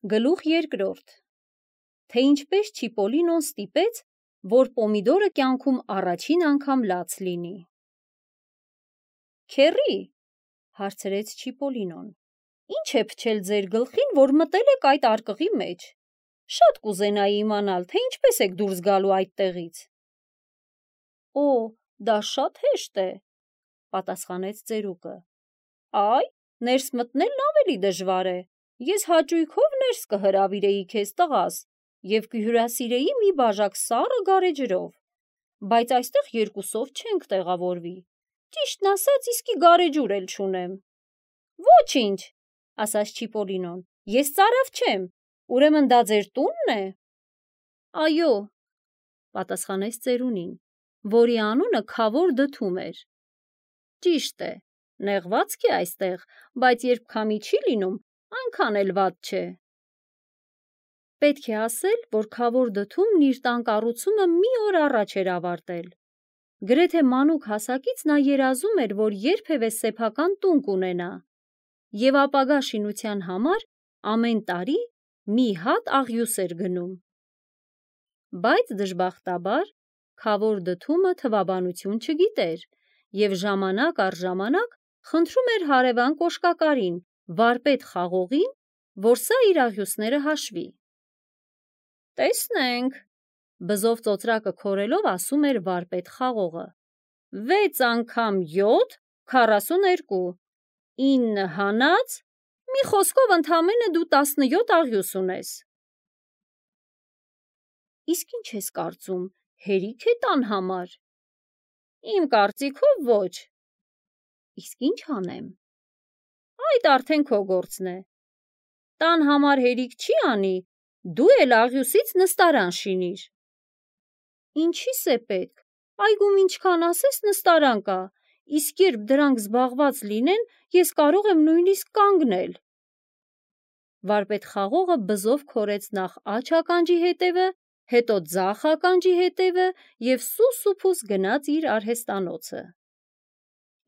Գլուխ երկրորդ. Թե ինչպես Չիպոլինոն ստիպեց, որ պոմիդորը կյանքում առաջին անգամ լաց լինի։ Քեռի, հարցրեց Չիպոլինոն, ինչ է փչել ձեր գլխին, որ մտել եք այդ արկղի մեջ։ Շատ կուզենայի իմանալ, թե ինչպես եք դուրս գալու այդտեղից։ Օ, դա շատ հեշտ է, պատասխանեց ծերուկը։ Այ, ներս մտնելն ավելի դժվար է։ Ես հաճույքով ներս կհրավիրեի քեզ տղաս և կհյուրասիրեի մի բաժակ սառը գարեջրով, բայց այստեղ երկուսով չենք տեղավորվի։ Ճիշտն ասած, իսկի գարեջուր էլ չունեմ։ Ոչինչ, ասաց Չիպոլինոն, ես ծարավ չեմ, ուրեմն դա ձեր տունն է։ Այո, պատասխանեց ծերունին, որի անունը Քավոր Դթում էր։ Ճիշտ է, նեղվածք է այստեղ, բայց երբ քամի չի լինում, այնքան էլ վատ չէ։ Պետք է ասել, որ Քավոր Դթումն իր տան կառուցումը մի օր առաջ էր ավարտել։ Գրեթե մանուկ հասակից նա երազում էր, որ երբևէ սեփական տուն կունենա, և ապագա շինության համար ամեն տարի մի հատ աղյուս էր գնում։ Բայց դժբախտաբար Քավոր Դթումը թվաբանություն չգիտեր և ժամանակ առ ժամանակ խնդրում էր հարևան կոշկակարին, վարպետ Խաղողին, որ սա իր աղյուսները հաշվի։ Տեսնենք, բզով ծոծրակը քորելով ասում էր վարպետ Խաղողը, 6 անգամ 7, 42, 9 հանած, մի խոսքով ընդամենը դու 17 աղյուս ունես։ Իսկ ինչ ես կարծում, հերիք է տան համար։ Իմ կարծիքով ոչ։ Իսկ ինչ անեմ։ Այդ արդեն քո գործն է։ Տան համար հերիք չի անի, դու էլ աղյուսից նստարան շինիր։ Ինչի՞ս է պետք, այգում ինչքան ասես նստարան կա, իսկ երբ դրանք զբաղված լինեն, ես կարող եմ նույնիսկ կանգնել։ Վարպետ Խաղողը բզով քորեց նախ աջ ականջի հետևը, հետո ձախ ականջի հետևը և սուս ու փուս գնաց իր արհեստանոցը։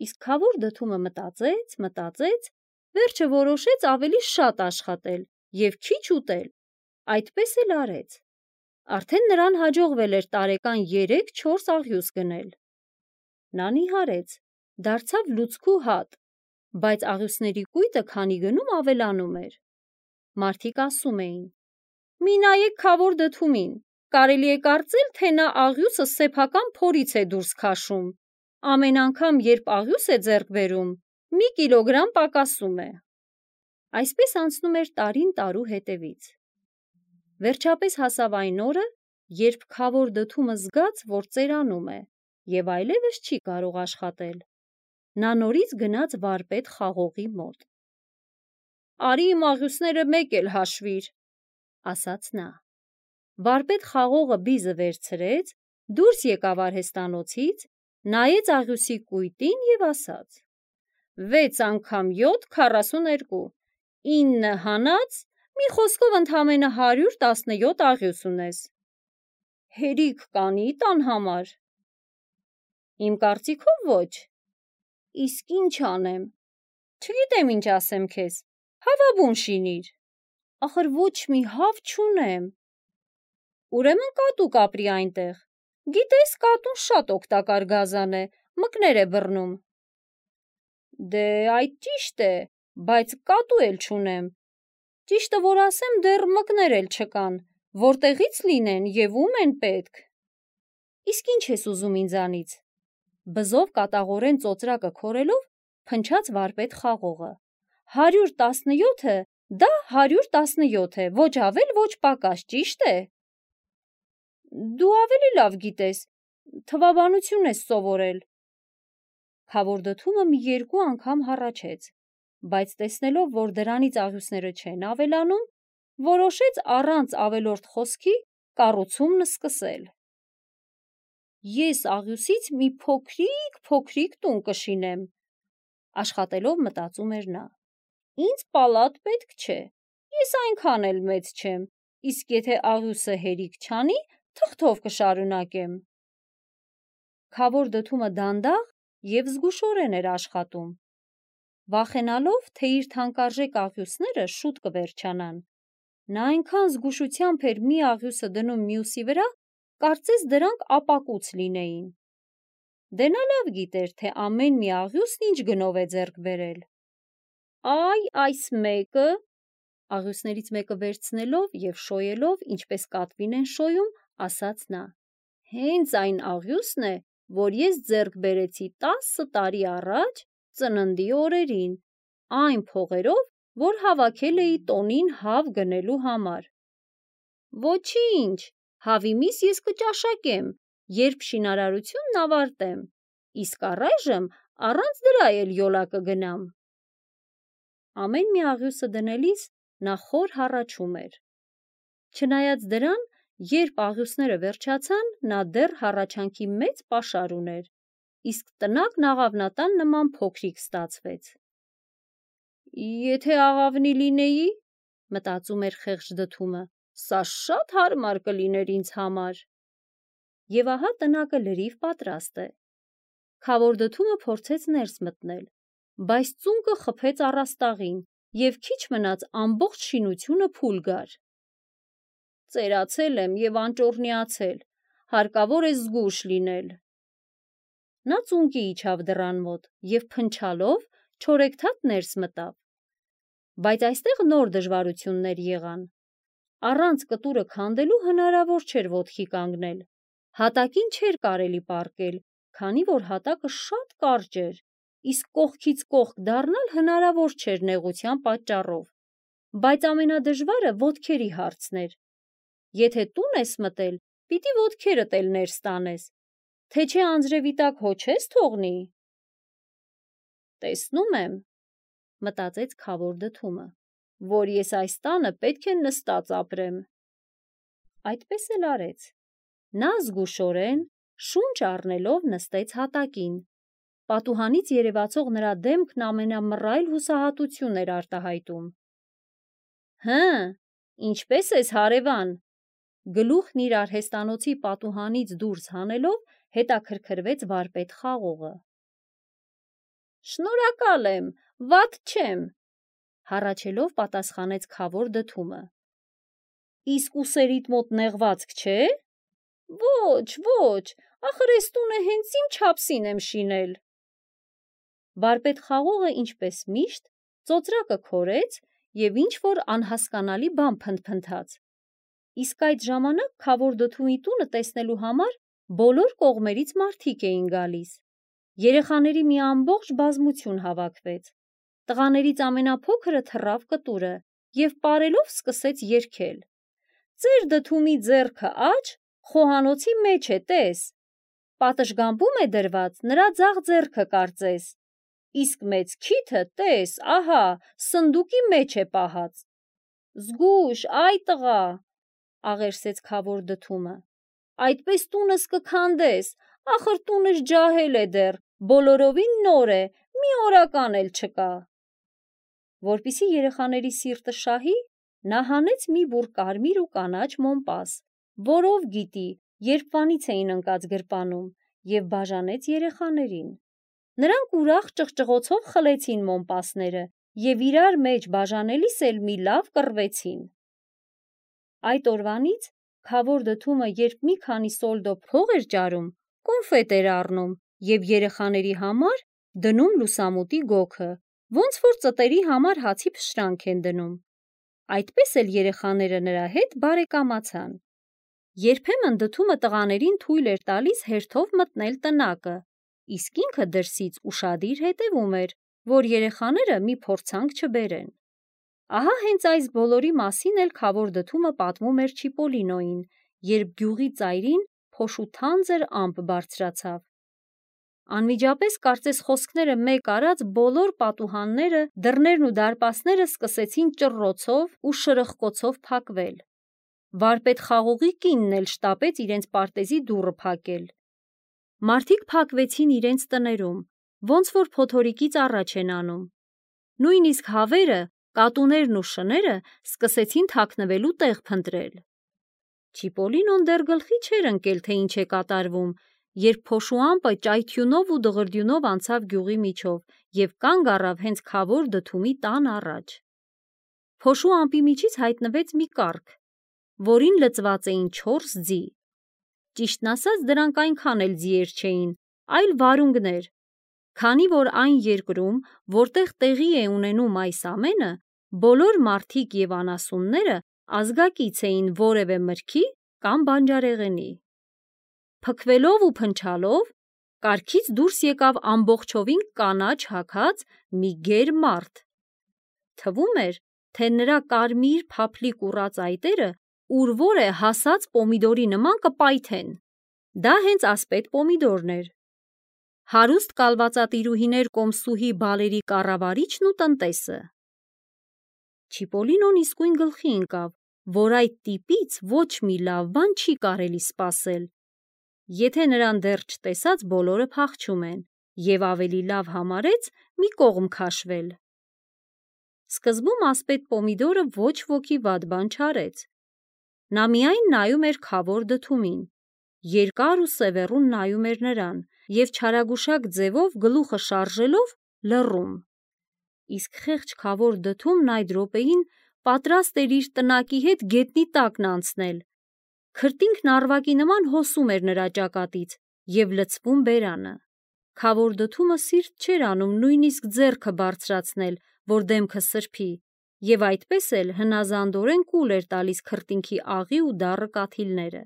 Իսկ Քավոր Դթումը մտածեց, վերջը որոշեց ավելի շատ աշխատել և քիչ ուտել, այդպես էլ արեց։ Արդեն նրան հաջողվել էր տարեկան 3-4 աղյուս գնել։ Նա նիհարեց, դարձավ լուցկու հատ, բայց աղյուսների կույտը քանի գնում ավելանում էր։ Մարդիկ ասում էին. մի նայեք Քավոր Դթումին, կարելի է կարծել, թե նա աղյուսը սեփական փորից է դուրս քաշում։ Ամեն անգամ, երբ աղյուս է ձեռք բերում, մի կիլոգրամ պակասում է։ Այսպես անցնում էր տարին տարու հետևից։ Վերջապես հասավ այն օրը, երբ Քավոր Դթումը զգաց, որ ծերանում է և այլևս չի կարող աշխատել։ Նա նորից գնաց վարպետ Խաղողի մոտ։ Արի իմ աղյուսները մեկ էլ հաշվիր, ասաց նա։ Վարպետ Խաղողը բիզը վերցրեց, դուրս եկավ արհեստանոցից, նայեց աղյուսի կույտին և ասաց. 6 անգամ 7, 42, 9 հանած, մի խոսքով ընդամենը 117 աղյուս ունես։ Հերիք կանի տան համար։ Իմ կարծիքով ոչ։ Իսկ ինչ անեմ։ Չգիտեմ ինչ ասեմ քեզ, հավաբուն շինիր։ Ախր ոչ մի հավ չունեմ։ Ուրեմն կատու կապրի այնտեղ։ Գիտես, կատուն շատ օգտակար գազան է, մկներ է բռնում։ Դե այդ ճիշտ է, բայց կատու էլ չունեմ։ Ճիշտը որ ասեմ, դեռ մկներ էլ չկան, որտեղից լինեն և ում են պետք։ Իսկ ինչ ես ուզում ինձանից։ Բզով կատաղորեն ծոծրակը քորելով փնչաց վարպետ Խաղողը։ 117-ը, դա 117 է, ոչ ավել, ոչ պակաս, ճիշտ է։ Դու ավելի լավ գիտես, թվաբանություն ես սովորել։ Քավոր Դթումը մի 2 անգամ հառաչեց, բայց տեսնելով, որ դրանից աղյուսները չեն ավելանում, որոշեց առանց ավելորդ խոսքի կառուցումն սկսել։ Ես աղյուսից մի փոքրիկ տուն կշինեմ, աշխատելով մտածում էր նա։ Ինձ պալատ պետք չէ, ես այնքան էլ մեծ չեմ, իսկ եթե աղյուսը հերիք չանի, թղթով կշարունակեմ։ Քավոր Դթումը դանդաղ և զգուշորեն էր աշխատում, վախենալով, թե իր թանկարժեք աղյուսները շուտ կվերջանան, Նա այնքան զգուշությամբ էր մի աղյուսը դնում մյուսի վրա, կարծես դրանք ապակուց լինեին։ Դե նա լավ գիտեր, թե ամեն մի աղյուսն ինչ գնով է ձեռք բերել։ Այ այս մեկը, աղյուսներից մեկը վերցնելով և շոյելով, ինչպես կատվին են շոյում, ասաց նա, հենց այն աղյուսն է, որ ես ձեռք բերեցի 10 տարի առաջ ծննդի օրերին, այն փողերով, որ հավաքել էի տոնին հավ գնելու համար։ Ոչինչ, հավի միս ես կճաշակեմ, երբ շինարարությունն ավարտեմ, իսկ առայժմ առանց դրա էլ յոլա կգնամ։ Ամեն մի աղյուսը դնելիս նա խոր հառաչում էր։ Չնայած դրան, երբ աղյուսները վերջացան, նա դեռ հառաչանքի մեծ պաշար ուներ, իսկ տնակն աղավնատան նման փոքրիկ ստացվեց։ Եթե աղավնի լինեի, մտածում էր խեղճ դդումը, սա շատ հարմար կլիներ ինձ համար։ Եվ ահա տնակը լրիվ պատրաստ է։ Քավոր դդումը փորձեց ներս մտնել, բայց ծունկը խփեց առաստաղին և քիչ մնաց ամբողջ շինությունը փուլ գար։ Ծերացել եմ և անճոռնիացել, հարկավոր է զգույշ լինել։ Նա ծունկի իջավ դռան մոտ և փնչալով չորեքթաթ ներս մտավ։ Բայց այստեղ նոր դժվարություններ եղան։ Առանց կտուրը քանդելու հնարավոր չէր ոտքի կանգնել։ Հատակին չէր կարելի պառկել, քանի որ հատակը շատ կարճ էր, իսկ կողքից կողք դառնալ հնարավոր չէր նեղության պատճառով։ Բայց ամենադժվարը ոտքերի հարցն էր։ Եթե տուն ես մտել, պիտի ոտքերդ էլ ներս տանես, թե չէ անձրևի տակ հո չես թողնի։ Տեսնում եմ, մտածեց քավոր դդումը, որ ես այս տանը պետք է նստած ապրեմ։ Այդպես էլ արեց։ Նա զգուշորեն, շունչ առնելով նստեց հատակին։ Պատուհանից երևացող նրա դեմքն ամենամռայլ հուսահատություն էր արտահայտում։ Հը, ինչպե՞ս ես, հարևան, գլուխն իր արհեստանոցի պատուհանից դուրս հանելով հետաքրքրվեց վարպետ խաղողը։ Շնորհակալ եմ, վատ չեմ, հառաչելով պատասխանեց քավոր դդումը։ Իսկ ուսերիդ մոտ նեղվածք չէ։ Ոչ, ոչ, ախր էս տունը հենց իմ չափսին եմ շինել։ Վարպետ խաղողը ինչպես միշտ ծոծրակը քորեց և ինչ-որ անհասկանալի բան փնթփնթաց։ Իսկ այդ ժամանակ քավոր դդումի տունը տեսնելու համար բոլոր կողմերից մարդիկ էին գալիս։ Երեխաների մի ամբողջ բազմություն հավաքվեց։ Տղաներից ամենափոքրը թռավ կտուրը և պարելով սկսեց երգել. Ձեր դդումի ձեռքը աջ, խոհանոցի մեջ է, տես։ Պատշգամբում է դրված, նրա ձախ ձեռքը կարծես։ Իսկ մեծ քիթը, տես, ահա, սնդուկի մեջ է պահած։ Զգույշ, այ տղա, աղերսեց քավոր դդումը։ Այդպես տունս կքանդես, ախր տունս ջահել է դեռ, բոլորովին նոր է, մի օրական էլ չկա։ Որպեսզի երեխաների սիրտը շահի, նա հանեց մի բուռ կարմիր ու կանաչ մոմպաս, որով գիտի, երբվանից էին ընկած գրպանում, և բաժանեց երեխաներին։ Նրանք ուրախ ճղճղոցով խլեցին մոմպասները և իրար մեջ բաժանելիս էլ մի լավ կռվեցին։ Այդ օրվանից քավոր դդումը, երբ մի քանի սոլդո փող էր ճարում, կոնֆետ էր առնում և երեխաների համար դնում լուսամուտի գոգը, ոնց որ ծտերի համար հացի փշրանք են դնում։ Այդպես էլ երեխաները նրա հետ բարեկամացան։ Երբեմն դդումը տղաներին թույլ էր տալիս հերթով մտնել տնակը, իսկ ինքը դրսից ուշադիր հետևում էր, որ երեխաները մի փորձանք չբերեն։ Ահա հենց այս բոլորի մասին էլ քավոր դդումը պատմում էր Չիպոլինոյին, երբ գյուղի ծայրին փոշու թանձր ամպ բարձրացավ։ Անմիջապես կարծես խոսքները մեկ արած բոլոր պատուհանները, դռներն ու դարպասները սկսեցին ճռռոցով ու շրխկոցով փակվել։ Վարպետ խաղողի կինն էլ շտապեց իրենց պարտեզի դուռը փակել։ Մարդիկ փակվեցին իրենց տներում, ոնց որ փոթորիկից առաջ են անում։ Նույնիսկ հավերը, կատուներն ու շները սկսեցին թաքնվելու տեղ փնտրել։ Չիպոլինոն դեռ գլխի չէր ընկել, թե ինչ է կատարվում, երբ փոշու ամպը ճայթյունով ու դղրդյունով անցավ գյուղի միջով և կանգ առավ հենց քավոր դդումի տան առաջ։ Փոշու ամպի միջից հայտնվեց մի կառք, որին լծված էին 4 ձի։ Ճիշտն ասած, դրանք այնքան էլ ձիեր չէին, այլ վարունգներ, քանի որ այն երկրում, որտեղ տեղի է ունենում այս ամենը, բոլոր մարդիկ և անասունները ազգակից էին որևէ մրգի կամ բանջարեղենի։ Փքվելով ու փնչալով, կառքից դուրս եկավ ամբողջովին կանաչ հագած մի գեր մարդ։ Թվում էր, թե նրա կարմիր փափլիկ ուռած այտերը ուր-որ է հասած պոմիդորի նման կպայթեն։ Դա հենց ասպետ պոմիդորն էր, հարուստ կալվածատիրուհիներ կոմսուհի բալերի կառավարիչն ու տնտեսը։ Չիպոլինոն իսկույն գլխի ընկավ, որ այդ տիպից ոչ մի լավ բան չի կարելի սպասել։ Եթե նրան դեռ չտեսած բոլորը փախչում են, և ավելի լավ համարեց մի կողմ քաշվել։ Սկզբում ասպետ պոմիդորը ոչ ոքի վատ բան չարեց։ Նա միայն նայում էր քավոր դդումին, երկար ու սևեռուն նայում էր նրան և չարագուշակ ձևով գլուխը շարժելով լռում։ Իսկ խեղճ քավոր դդումն այդ րոպեին պատրաստ էր իր տնակի հետ գետնի տակն անցնել։ Քրտինքն առվակի նման հոսում էր նրա ճակատից և լցվում բերանը։ Քավոր դդումը սիրտ չէր անում նույնիսկ ձեռքը բարձրացնել, որ դեմքը սրբի, և այդպես էլ հնազանդորեն կուլ էր տալիս քրտինքի աղի ու դառը կաթիլները։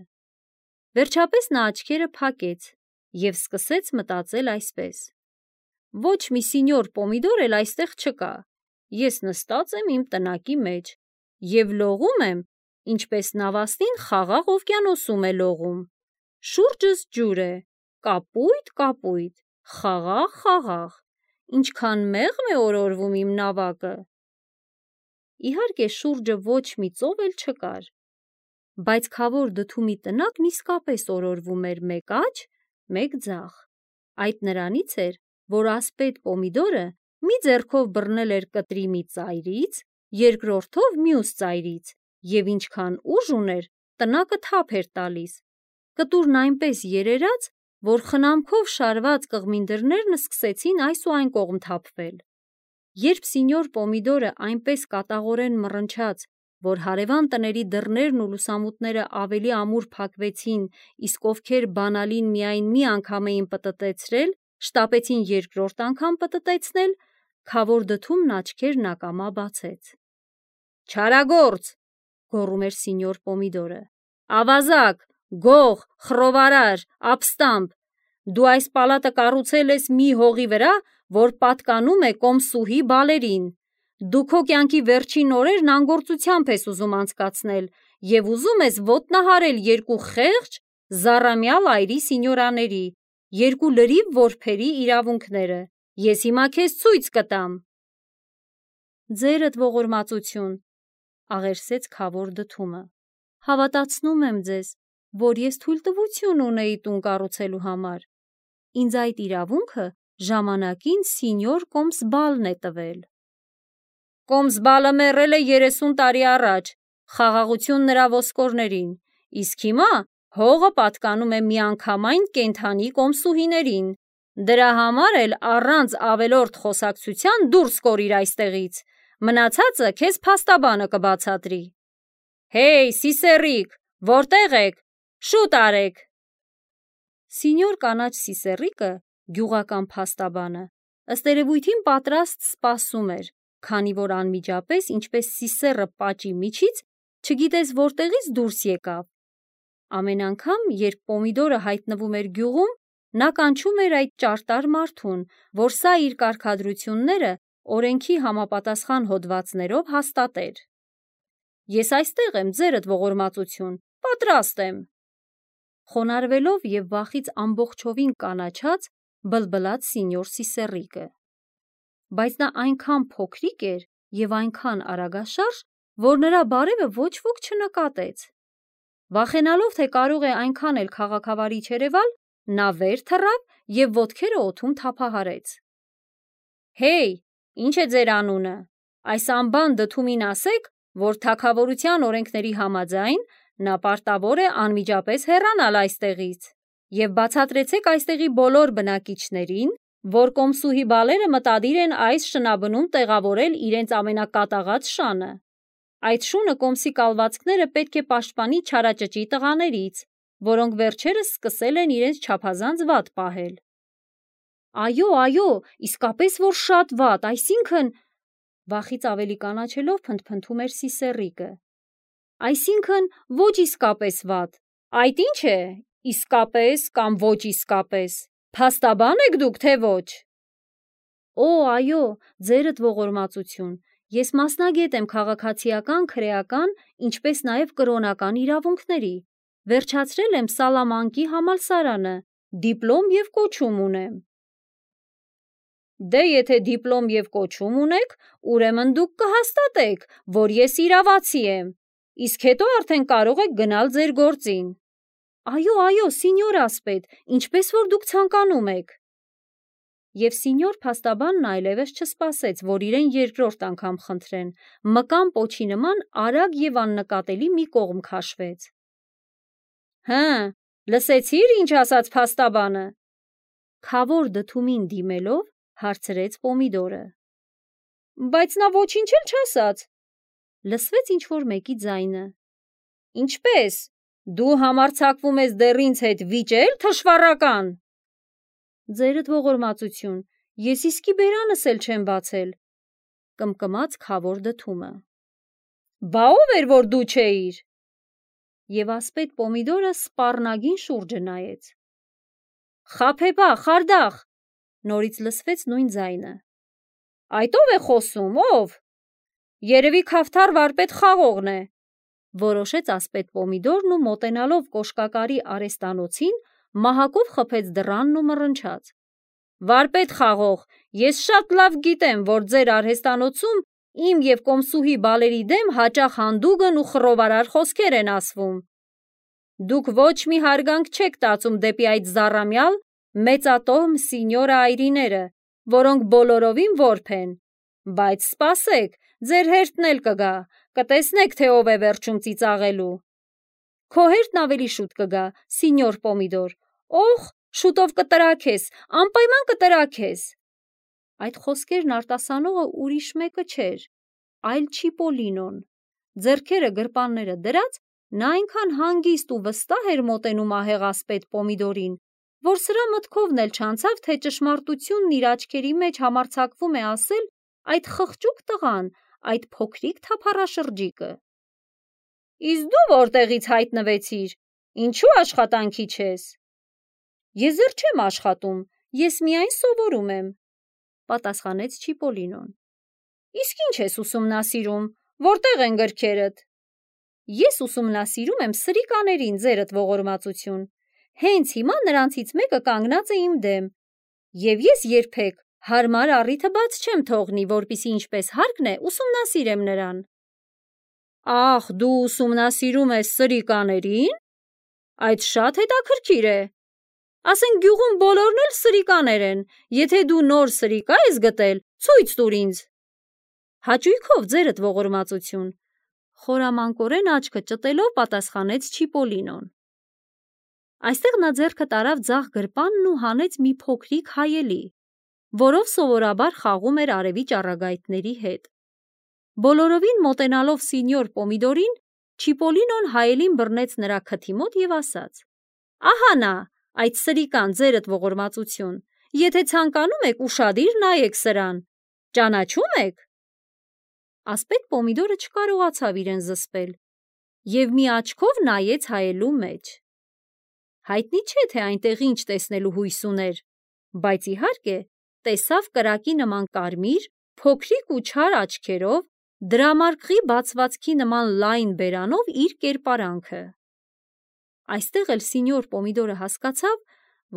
Վերջապես նա աչքերը փակեց և սկսեց մտածել այսպես. «Ոչ մի սինյոր պոմիդոր էլ այստեղ չկա։ Ես նստած եմ իմ տնակի մեջ և լողում եմ, ինչպես նավաստին խաղաղ օվկիանոսում է լողում։ Շուրջս ջուր է, կապույտ, կապույտ, խաղաղ, խաղաղ, ինչքան մեղմ է օրորվում իմ նավակը»։ Իհարկե, շուրջը ոչ մի ծով էլ չկար, բայց քավոր դդումի տնակն իսկապես օրորվում էր մեկ աջ, մեկ ձախ։ Այդ նրանից էր, որ ասպետ պոմիդորը մի ձեռքով բռնել էր կտրի մի ծայրից, երկրորդով մյուս ծայրից, և ինչքան ուժ ուներ, տնակը թափ էր տալիս։ Կտուրն այնպես երերաց, որ խնամքով շարված կղմին դռներն սկսեցին այս ու այն կողմ թափվել։ Երբ սինյոր պոմիդորը այնպես կատաղորեն մռնչաց, որ հարևան տների դռներն ու լուսամուտները ավելի ամուր փակվեցին, իսկ ովքեր բանալին միայն մի անգամ էին պտտեցրել, շտապեցին երկրորդ անգամ պտտեցնել, քավոր դդումն աչքերն ակամա բացեց։ «Չարագործ», գոռում էր սինյոր պոմիդորը, «ավազակ, գող, խռովարար, ապստամբ, դու այս պալատը կառուցել ես մի հողի վրա, որ պատկանում է կոմսուհի բալերին։ Դու քո կյանքի վերջին օրերն անգործությամբ ես ուզում անցկացնել և ուզում ես ոտնահարել երկու խեղճ, զառամյալ այրի սինյորաների, երկու լրիվ որբերի իրավունքները։ Ես հիմա քեզ ցույց կտամ»։ «Ձերդ ողորմածություն», աղերսեց քավոր դդումը, «հավատացնում եմ ձեզ, որ ես թույլտվություն ունեի տուն կառուցելու համար։ Ինձ այդ իրավունքը ժամանակին սինյոր կոմսբալն է տվել»։ «Կոմսբալը մեռել է 30 տարի առաջ, խաղաղություն նրա ոսկորներին, իսկ հիմա հողը պատկանում է միանգամայն կենդանի կոմսուհիներին։ Դրա համար էլ առանց ավելորդ խոսակցության դուրս կորիր այստեղից, մնացածը քեզ փաստաբանը կբացատրի։ Հեյ, սիսեռիկ, որտե՞ղ եք, շուտ արեք»։ Սինյոր կանաչ սիսեռիկը, գյուղական փաստաբանը, ըստ երևույթին պատրաստ սպասում էր, քանի որ անմիջապես, ինչպես սիսեռը պատճի միջից, չգիտես որտեղից դուրս եկավ։ Ամեն անգամ, երբ պոմիդորը հայտնվում էր գյուղում, նա կանչում էր այդ ճարտար մարդուն, որ սա իր կարգադրությունները օրենքի համապատասխան հոդվածներով հաստատեր։ «Ես այստեղ եմ, ձերդ ողորմածություն, պատրաստ եմ», խոնարհվելով և վախից ամբողջովին կանաչած, բլբլաց սինյոր սիսեռիկը։ Բայց նա այնքան փոքրիկ էր և այնքան արագաշարժ, որ նրա բարևը ոչ ոք չնկատեց։ Վախենալով, թե կարող է այնքան էլ քաղաքավարի չերևալ, նա վեր թռավ և ոտքերը օդում թափահարեց։ «Հեյ, ի՞նչ է ձեր անունը։ Այս անբան դդումին ասեք, որ թագավորության օրենքների համաձայն նա պարտավոր է անմիջապես հեռանալ այստեղից, և բացատրեցեք այստեղի բոլոր բնակիչներին, որ կոմսուհի բալերը մտադիր են այս շնաբնում տեղավորել իրենց ամենակատաղած շանը։ Այդ շունը կոմսի կալվածքները պետք է պաշտպանի չարաճճի տղաներից, որոնք վերջերս սկսել են իրենց չափազանց վատ պահել։ Այո, իսկապես որ շատ վատ, այսինքն… Վախից ավելի կանաչելով փնթփնթում էր Սիսեռիկը։ Այսինքն ոչ իսկապես վատ։ Այդ ի՞նչ է, իսկապես կամ ոչ իսկապես։ Փաստաբան եք դուք, թե ոչ։ Այո, ձերդ ողորմածություն, ես մասնագետ եմ քաղաքացիական, քրեական, ինչպես նաև կրոնական իրավունքների, վերջացրել եմ Սալամանկի համալսարանը, դիպլոմ և կոչում ունեմ։ Դե եթե դիպլոմ և կոչում ունեք, ուրեմն դուք կհաստատեք, որ ես իրավացի եմ, իսկ հետո արդեն կարող եք գնալ ձեր գործին։ Այո, սինյոր ասպետ, ինչպես որ դուք ցանկանում եք։ Եվ սինյոր փաստաբանն այլևս չսպասեց, որ իրեն երկրորդ անգամ խնդրեն, մկան պոչի նման արագ և աննկատելի մի կողմ քաշվեց։ Լսեցի՞ր, ինչ ասաց փաստաբանը։ Քավոր դդումին դիմելով, հարցրեց Պոմիդորը։ Բայց նա ոչինչ էլ չասաց։ Լսվեց ինչ-որ մեկի ձայնը։ Ինչպե՞ս, դու համարձակվում ես դեռ ինձ հետ վիճել, թշվառական։ Ձերդ ողորմածություն, ես իսկի բերանս էլ չեմ բացել, կմկմաց քավոր դդումը։ Բա ով էր, որ դու չէիր։ Եվ ասպետ Պոմիդորը սպառնագին շուրջը նայեց։ Խաբեբա, խարդախ, նորից լսվեց նույն ձայնը։ Այդ ո՞վ է խոսում, ով։ Երևի Քավթար վարպետ խաղողն է, որոշեց ասպետ Պոմիդորն ու մոտենալով կոշկակարի արհեստանոցին, մահակով խփեց դռանն ու մռնչաց. Վարպետ խաղող, ես շատ լավ գիտեմ, որ ձեր արհեստանոցում իմ և կոմսուհի բալերի դեմ հաճախ հանդուգն ու խռովարար խոսքեր են ասվում։ Դուք ոչ մի հարգանք չեք տածում դեպի այդ զառամյալ, մեծատոհմ սինյորա այրիները, որոնք բոլորովին որբ են, բայց սպասեք, ձեր հերթն էլ կգա, կտեսնեք, թե ով է վերջում ծիծաղելու։ Քո հերթն ավելի շուտ կգա, սինյոր Պոմիդոր, շուտով կտրաքես, անպայման կտրաքես։ Այդ խոսքերն արտասանողը ուրիշ մեկը չէր, այլ Չիպոլինոն։ Ձեռքերը գրպանները դրած, նա այնքան հանգիստ ու վստահ էր մոտենում ահեղ ասպետ Պոմիդորին, որ սրա մտքովն էլ չանցավ, թե ճշմարտությունն իր աչքերի մեջ համարձակվում է ասել այդ խղճուկ տղան, այդ փոքրիկ թափառաշրջիկը։ Իսկ դու որտեղից հայտնվեցիր, ինչու աշխատանքի չես։ Ես դեռ չեմ աշխատում, ես միայն սովորում եմ, պատասխանեց Չիպոլինոն։ Իսկ ինչ ես ուսումնասիրում, որտեղ են գրքերդ։ Ես ուսումնասիրում եմ սրիկաներին, ձերդ ողորմածություն։ Հենց հիմա նրանցից մեկը կանգնած է իմ դեմ, և ես երբեք հարմար առիթը բաց չեմ թողնի, որպեսզի ինչպես հարկն է, ուսումնասիրեմ նրան։ Ախ, դու ուսումնասիրում ես սրիկաներին։ Այդ շատ հետաքրքիր է։ Ասենք գյուղում բոլորն էլ սրիկաներ են, եթե դու նոր սրիկա ես գտել, ցույց տուր ինձ։ Հաճույքով, ձերդ ողորմածություն, խորամանկորեն աչքը ճտելով պատասխանեց Չիպոլինոն։ Այստեղ նա ձեռքը տարավ ձախ գրպանն ու հանեց մի փոքրիկ հայելի, որով սովորաբար խաղում էր արևի ճառագայթների հետ։ Բոլորովին մոտենալով սինյոր Պոմիդորին, Չիպոլինոն հայելին բռնեց նրա քթի մոտ և ասաց. Ահա նա, այդ սրիկան, ձերդ ողորմածություն, եթե ցանկանում եք, ուշադիր նայեք սրան, ճանաչում եք։ Ասպետ Պոմիդորը չկարողացավ իրեն զսպել և մի աչքով նայեց հայելու մեջ։ Հայտնի չէ, թե այնտեղ ինչ տեսնելու հույս ուներ, բայց իհարկե տեսավ կրակի նման կարմիր, փոքրիկ ու չար աչքերով, դրամարկղի բացվածքի նման լայն բերանով իր կերպարանքը։ Այստեղ էլ սինյոր Պոմիդորը հասկացավ,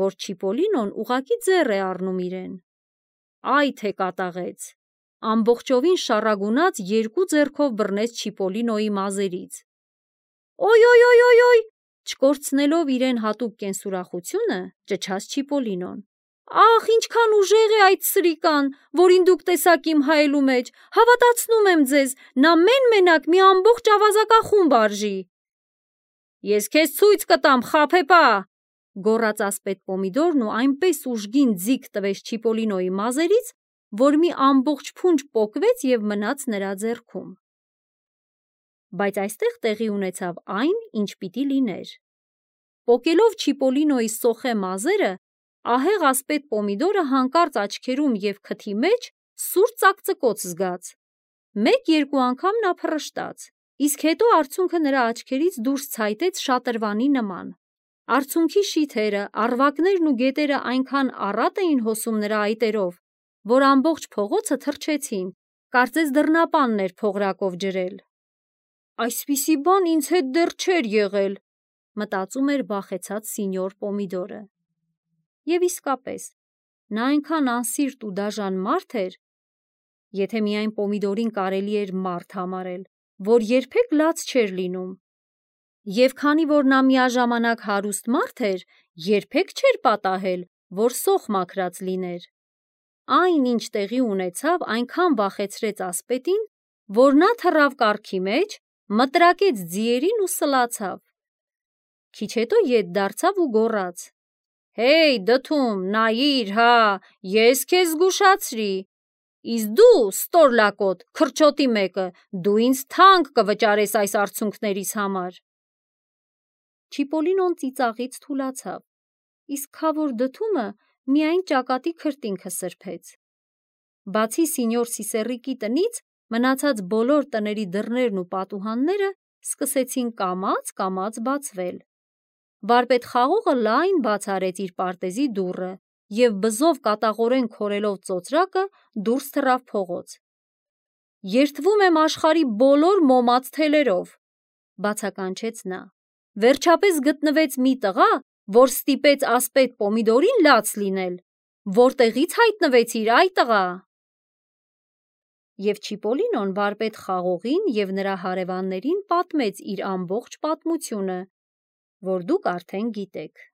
որ Չիպոլինոն ուղղակի ձեռ է առնում իրեն։ Այ թե կատաղեց։ Ամբողջովին շառագունած երկու ձեռքով բռնեց Չիպոլինոյի մազերից։ Օյ, չկորցնելով իրեն հատուկ կենսուրախությունը, ճչաց Չիպոլինոն։ Ախ, ինչքան ուժեղ է այդ սրիկան, որին դուք տեսաք իմ հայելու մեջ, հավատացնում եմ ձեզ, նա մեն-մենակ մի ամբողջ ավազակախումբ արժի։ Ես քեզ ցույց կտամ, խաբեբա, գոռաց ասպետ Պոմիդորն ու այնպես ուժգին ձիգ տվեց Չիպոլինոյի մազերից, որ մի ամբողջ փունջ պոկվեց և մնաց նրա ձեռքում։ բայց այստեղ տեղի ունեցավ այն, ինչ պիտի լիներ։ Պոկելով Չիպոլինոյի սոխե մազերը, ահեղ ասպետ պոմիդորը հանկարծ աչքերում և քթի մեջ սուր ծակծկոց զգաց։ 1-2 անգամ նա փռշտաց, իսկ հետո արցունքը նրա աչքերից դուրս ցայտեց շատրվանի նման։ Արցունքի շիթերը, առվակներն ու գետերը այնքան առատ էին հոսում նրա այտերով, որ ամբողջ փողոցը թռչեցին, կարծես դռնապանն էր փողրակով ջրել։ «Այսպիսի բան ինձ հետ դեռ չէր եղել», մտածում էր վախեցած սինյոր Պոմիդորը։ Եվ իսկապես, նա այնքան անսիրտ ու դաժան մարդ էր, եթե միայն Պոմիդորին կարելի էր մարդ համարել, որ երբեք լաց չէր լինում։ Եվ քանի որ նա միաժամանակ հարուստ մարդ էր, երբեք չէր պատահել, որ սոխ մաքրած լիներ։ Այն, ինչ տեղի ունեցավ, այնքան վախեցրեց ասպետին, որ նա թռավ կառքի մեջ, մտրակեց ձիերին ու սլացավ։ Քիչ հետո ետ դարձավ ու գոռաց. «Հեյ, դդում, նայիր, հա, ես քեզ զգուշացրի, իսկ դու, ստորլակոտ, քրչոտի մեկը, դու ինձ թանկ կվճարես այս արցունքներիս համար»։ Չիպոլինոն ծիծաղից թուլացավ, իսկ քավոր դդումը միայն ճակատի քրտինքը սրբեց։ Բացի սինյոր Սիսեռիկի տնից, մնացած բոլոր տների դռներն ու պատուհանները սկսեցին կամաց բացվել։ Վարպետ Խաղողը լայն բաց արեց իր պարտեզի դուռը և բզով կատաղորեն քորելով ծոծրակը դուրս թռավ փողոց։ «Երդվում եմ աշխարհի բոլոր մոմած թելերով», բացականչեց նա։ «Վերջապես գտնվեց մի տղա, որ ստիպեց ասպետ Պոմիդորին լաց լինել։ Որտեղի՞ց հայտնվեցիր, այ տղա»։ Եվ Չիպոլինոն վարպետ Խաղողին և նրա հարևաններին պատմեց իր ամբողջ պատմությունը, որ դուք արդեն գիտեք։